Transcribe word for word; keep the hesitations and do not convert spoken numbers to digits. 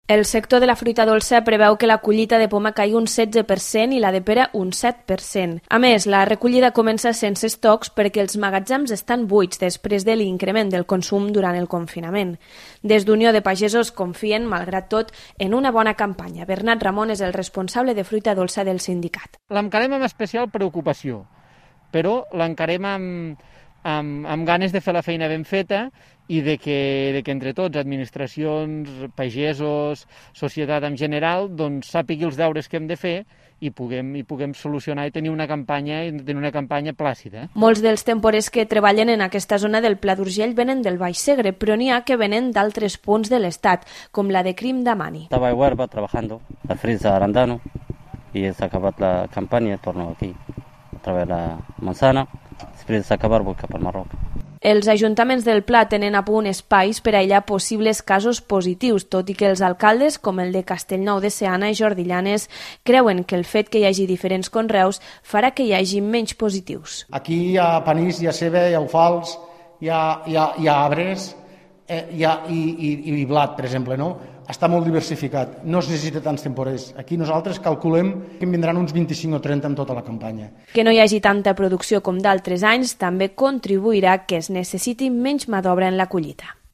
El sector de la fruita dolça preveu que la collita de poma caigui un setze per cent i la de pera un set per cent. A més, la recollida comença sense estocs perquè els magatzems estan buits després de l'increment del consum durant el confinament. Des d'Unió de Pagesos confien, malgrat tot, en una bona campanya. Bernat Ramon és el responsable de fruita dolça del sindicat. L'encarem amb especial preocupació, però l'encarem amb, amb, amb ganes de fer la feina ben feta i de que, de que entre tots, administracions, pagesos, societat en general, doncs sàpigui els deures que hem de fer i puguem, i puguem solucionar i tenir una campanya, tenir una campanya plàcida. Molts dels temporers que treballen en aquesta zona del Pla d'Urgell venen del Baix Segre, però n'hi ha que venen d'altres punts de l'estat, com la de Crim d'Amani. Estava a Huerva trabajando, a Frisa Arandano, i s'ha acabat la campanya, torno aquí, a través de la manzana, després d'acabar vull cap al Marroc. Els ajuntaments del Pla tenen a punt espais per aïllar possibles casos positius, tot i que els alcaldes, com el de Castellnou de Seana i Jordi Llanes, creuen que el fet que hi hagi diferents conreus farà que hi hagi menys positius. Aquí hi ha panís, hi ha ceba, hi ha alfals, hi ha, hi ha, hi ha arbres, eh, hi ha, i, i, i blat, per exemple, no? Està molt diversificat, no es necessita tants temporers. Aquí nosaltres calculem que en vindran uns vint-i-cinc o trenta en tota la campanya. Que no hi hagi tanta producció com d'altres anys també contribuirà que es necessiti menys mà d'obra en la collita.